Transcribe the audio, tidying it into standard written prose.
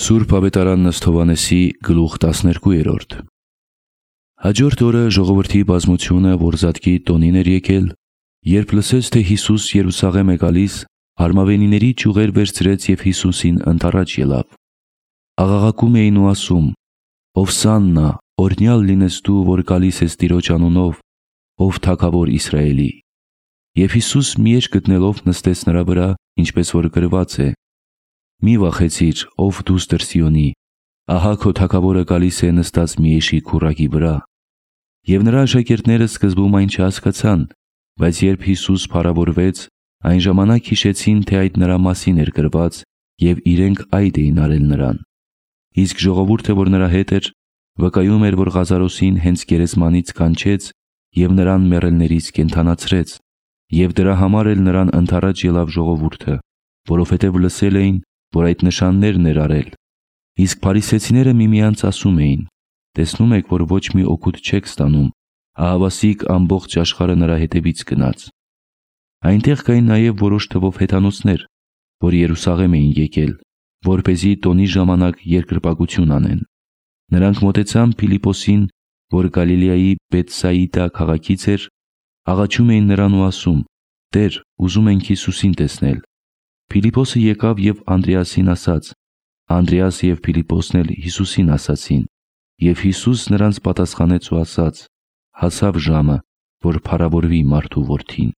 Սուրբ ավետարան Ըստ Հովհաննեսի գլուխ 12։ Հաջորդ օրը ժողովրդի բազմությունը, որ Զատկի տոնին էր եկել, երբ լսեց, թե Հիսուս Երուսաղեմ է գալիս, արմավենիների ճյուղեր վերցրեց և Հիսուսին ընդառաջ ելավ։ Աղաղակում էին ու ասում. «Ովսաննա, օրհնյալ լինես դու, որ գալիս ես Տիրոջ անունով, ով Թագավոր Իսրայելի»։ Եվ Հիսուս միեջ գտնելով նստեց նրա վրա, ինչպես որ գրված է. «Մի վախեցիր, ով դուստր Սիոնի, ահա քո Թագավորը գալիս է նստած մի էշի քուռակի վրա»։ Եվ նրա աշակերտները սկզբում այն չհասկացան, բայց երբ Հիսուս փառավորվեց, այն ժամանակ հիշեցին, թե այդ նրա մասին էր գրված, և իրենք այդ էին արել նրան։ Իսկ ժողովուրդը, որ նրա հետ էր, վկայում էր, որ Ղազարոսին հենց գերեզմանից կանչեց և նրան մեռելներից կենդանացրեց, և դրա համար էլ նրան ընդառաջ ելավ ժողովուրդը, որովհետև լսել էին, որ այդ նշաններն էր արել։ Իսկ փարիսեցիները միմյանց ասում էին. «Տեսնում եք, որ ոչ մի օգուտ չեք ստանում, ահավասիկ ամբողջ աշխարհը նրա հետևից գնաց»։ Այնտեղ կային նաև որոշ թվով հեթանոսներ, որ Երուսաղեմ էին եկել, որպեսզի տոնի ժամանակ երկրպագություն անեն։ Նրանք մոտեցան Փիլիպոսին, որ Գալիլեայի Բեթսայիդա քաղաքից էր, աղաչում էին նրան ու ասում. «Տեր, ուզում ենք Հիսուսին տեսնել»։ Փիլիպոսը եկավ և Անդրեասին ասաց։ Անդրեաս և Փիլիպոսն էլ Հիսուսին ասացին, և Հիսուս նրանց պատասխանեց ու ասաց. «Հասավ ժամը, որ փառավորվի մարդու Որդին»։